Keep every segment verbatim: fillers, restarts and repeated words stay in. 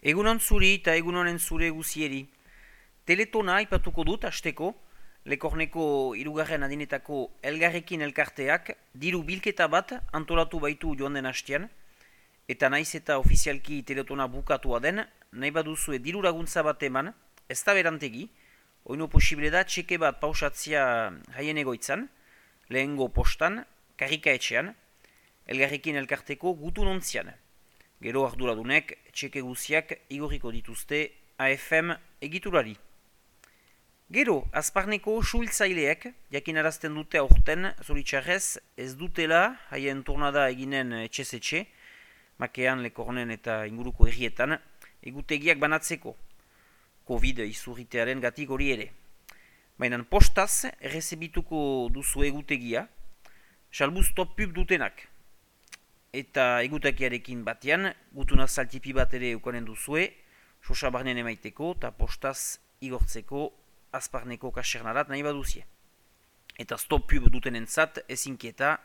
Egunon zuri eta egunonen zure guzieri. Teletona aipatuko dut hasteko, Lekorneko hirugarren adinetako elgarrekin elkarteak diru bilketa bat antolatu baitu joan den hastean, eta naiz eta ofizialki teletona bukatua den, nahi baduzue diru laguntza bat eman, ez da berantegi, oino posible da txeke bat pausatzia haien egoitzan, lehengo postan, karrikaetxean, elgarrekin elkarteko gutun ontzian. Gero arduradunek txeke guziak igorriko dituzte A F M egiturari. Gero, azparneko suhiltzaileek jakinarazten dute aurten zoritxarrez ez dutela haien turnada eginen etxez-etxe, Makean, Lekornen eta inguruko herrietan, egutegiak banatzeko, Covid izurritearen gatik hori ere. Baina postaz errezebituko duzu egutegia, salbuz top pub dutenak. Eta egutegiarekin batean, gutuna zaltipi bat ere eukanen duzue, sosa barnen emaiteko eta postaz igortzeko azparneko kasernarat nahi baduzie. Eta stop pub dutenentzat ezinkieta,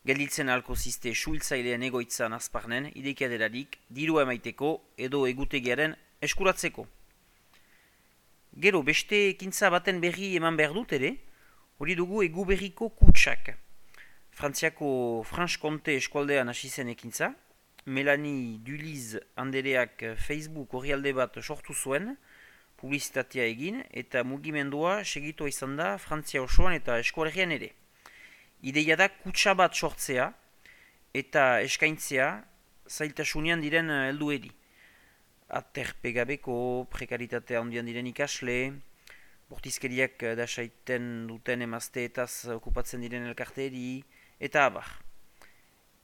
gelditzen alko ziste suhiltzailean egoitzan azparnen, idekiaderarik, dirua emaiteko edo egutegiaren eskuratzeko. Gero, beste ekintza baten berri eman behar dut ere, hori dugu egu berriko kutsak. Frantziako Franche-Comté eskualdean hasi zen ekintza, Melanie Duliz andereak Facebook orrialde bat sortu zuen, publizitatea egin, eta mugimendua segitua izan da Frantzia osoan eta eskualdean ere. Ideia da kutsa bat sortzea eta eskaintzea zailtasunean diren heldueri. Aterpegabeko, prekaritatea handian diren ikasle, bortizkeriak dasaiten duten emazteetaz okupatzen diren elkarteeri, eta abar.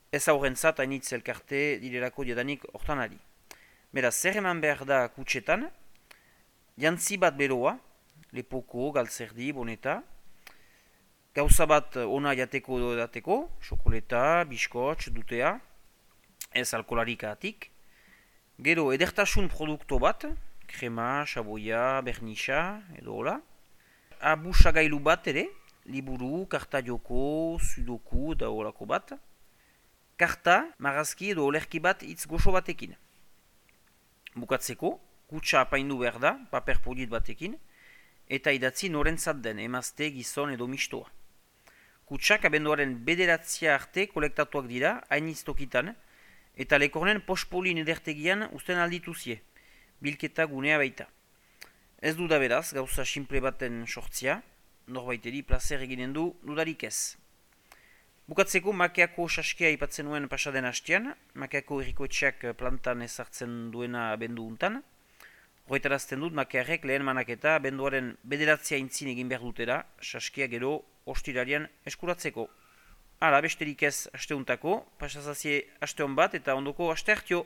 Ez aurrentzat hainitz elkarte direlako diadanik hortanari. Beraz, zer eman behar da kutsetan, jantzi bat beroa, lepoko, galtzerdi, boneta, gauza bat ona jateko edo edateko, xokoleta, biskotx, dutea, ez alkolarik atik, gero edertasun produkto bat, krema, xaboia, bernisa, edo hola, abusagailu bat ere, liburu, karta joko, sudoku eta horako bat, karta, marazki edo olerki bat hitz goxo batekin. Bukatzeko, kutsa apaindu behar da, paper polit batekin, eta idatzi norentzat den, emazte, gizon edo mistoa. Kutsak abenduaren bederatzia arte kolektatuak dira, hainiz tokitan, eta Lekornen pospolin edertegian usten aldituzie, bilketa gunea baita. Ez du da beraz, gauza simple baten sortzia, norbaiteri plazer eginen du dudarik ez. Bukatzeko Makeako saskia aipatzen nuen pasaden hastean, Makeako herrikoetxeak plantan ezartzen duena abendu untan. Horretarazten dut Makearrek lehen manaketa abenduaren bederatzia intzin egin behar dutera, saskia gero ostirarian eskuratzeko. Hala, besterik ez asteuntako, pasazazie asteon bat eta ondoko aste hartio.